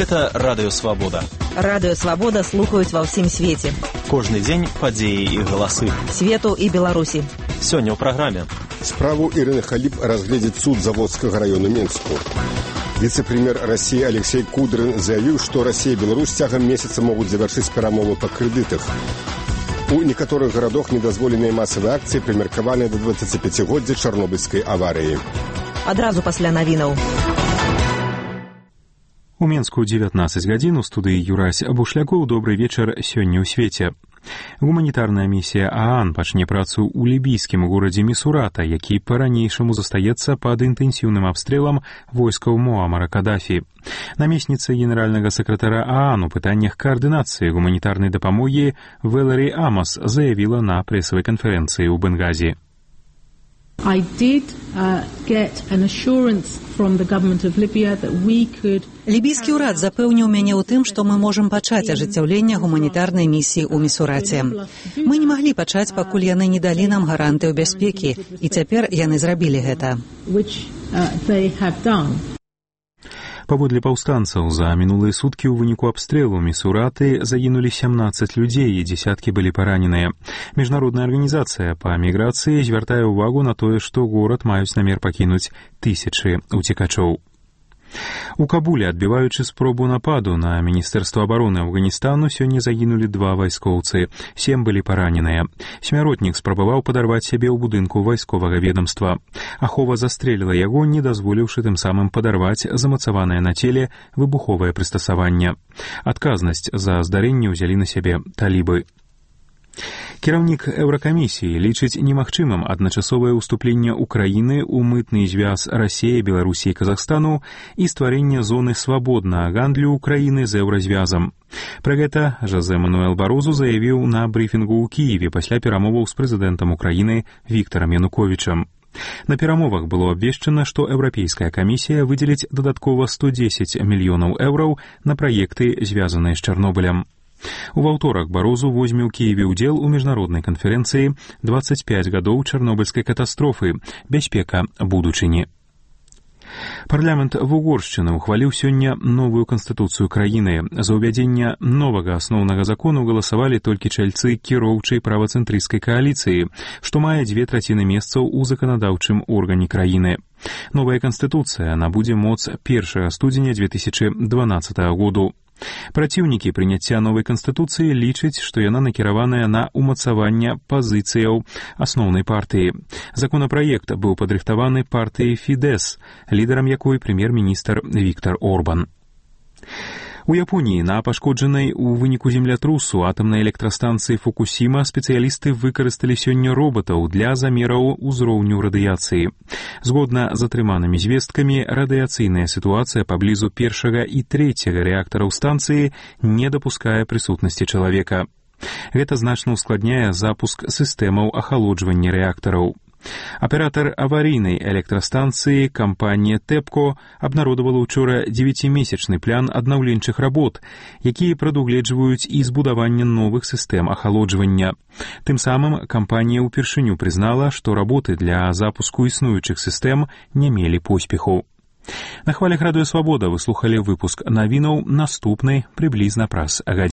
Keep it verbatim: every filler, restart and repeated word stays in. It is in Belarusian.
Гэта Радыё Свабода. Радыё Свабода слухаюць ва ўсім свеце. Кожны дзень падзеі і галасы. Свету і Беларусі. Сёння ў праграме. Справу Ірыны Халіп разгледзіць суд Заводскага району Менску. Віцэ-прэм'ер Расіі Алексей Кудрин заявіў, што Расія і Беларусь цягам месяца могуць завяршыць перамовы па крэдытах. У некаторых гарадах недазволеныя масавыя акцыі прымеркаваныя да дваццаціпяцігоддзя чарнобыльскай аварыі. Адразу пасля навінаў. У Менску дзевятнаццаць гадзін у студыі Юрась Бушлякоў. Добрый вечар сёння ў свеце. Гуманітарная місія ААН пачне працу ў лібійскім горадзе Місурата, які па-ранейшаму застаецца пад інтэнсіўным абстрэлам войскаў Муамара Кадафі. Намесніца генеральнага сакратара ААН у пытаннях каардынацыі гуманітарнай дапамогі Вэлэрі Амас заявіла на прэсавай канферэнцыі ў Бенгазі. I did uh, get an assurance from the government of Libya that we could... Лібійскі ўрад запэўніў мяне ў тым, што мы можам пачаць ажыццяўленне гуманітарнай місіі ў Місураце. Мы не маглі пачаць, пакуль яны не далі нам гарантыю бяспекі, і цяпер яны зрабілі гэта. Which, uh, they have done. Паводле паўстанцаў, за мінулыя суткі ў выніку абстрэлу Місураты загінулі сямнаццаць людзей і дзесяткі былі параненыя. Міжнародная арганізацыя па міграцыі звяртае ўвагу на тое, што горад маюць намер пакінуць тысячы уцекачоў. У Кабуле, адбіваючы спробу нападу на Міністэрства абароны Афганістану, сёння загінулі два вайскоўцы, сем былі параненыя. Смяротнік спрабаваў падарваць сябе ў будынку вайсковага ведамства. Ахова застрэліла яго, не дазволіўшы тым самым падарваць замацаванае на целе выбуховае прыстасаванне. Адказнасць за здарэнне ўзялі на сябе талібы. Кіраўнік Еўракамісіі лічыць немагчымым адначасовае ўступленне Украіны ў мытны звяз Расіі, Беларусі і Казахстану і стварэнне зоны свабоднага гандлю Украіны з еўразвязам. Пра гэта Жозе Мануэл Барозу заявіў на брыфінгу ў Кіеве пасля перамоваў з прэзідэнтам Украіны Віктарам Януковічам. На перамовах было абвешчана, што Еўрапейская камісія выдзеліць дадаткова сто дзесяць мільёнаў еўраў на праекты, звязаныя з Чарнобылем. У ваўторак Барозу возьме ў Кіеве ўдзел у міжнароднай канферэнцыі дваццаць пяць гадоў чарнобыльскай катастрофы. Бяспека будучыні. Парламент Вугоршчыны ухваліў сёння новую канстытуцыю краіны. За ўвядзенне новага асноўнага закону галасавалі толькі чальцы кіроўчай правацэнтрысцкай кааліцыі, што мае дзве траціны месцаў у заканадаўчым органе краіны. Новая канстытуцыя набудзе моц першага студзеня дзве тысячы дванаццатага году. Праціўнікі прыняцця новай канстытуцыі лічаць, што яна накіраваная на ўмацаванне пазіцыяў асноўнай партыі. Законапраект быў падрыхтаваны партыяй Фідэс, лідарам якой прэм'ер-міністр Віктар Орбан. У Японіі на пашкоджанай у выніку землятрусу атамнай электрастанцыі Фукусіма спецыялісты выкарысталі сёння робатаў для замераў узроўню радыяцыі. Згодна з атрыманымі звесткамі, радыяцыйная сітуацыя паблізу першага і трэцяга рэактараў станцыі не дапускае прысутнасці чалавека. Гэта значна ускладняе запуск сістэмаў ахалоджвання рэактараў. Аператар аварійнай электрастанцыі кампанія Тэпко абнародавала ўчора дзевяцімесячны план аднаўленчых работ, якія прадугледжваюць і збудаванне новых сістэм ахалоджвання. Тым самым кампанія ўпершыню прызнала, што работы для запуску існуючых сістэм не мелі поспеху. На хвалях Радыё Свабода вы слухалі выпуск навінаў, наступны прыблізна праз гадзіну.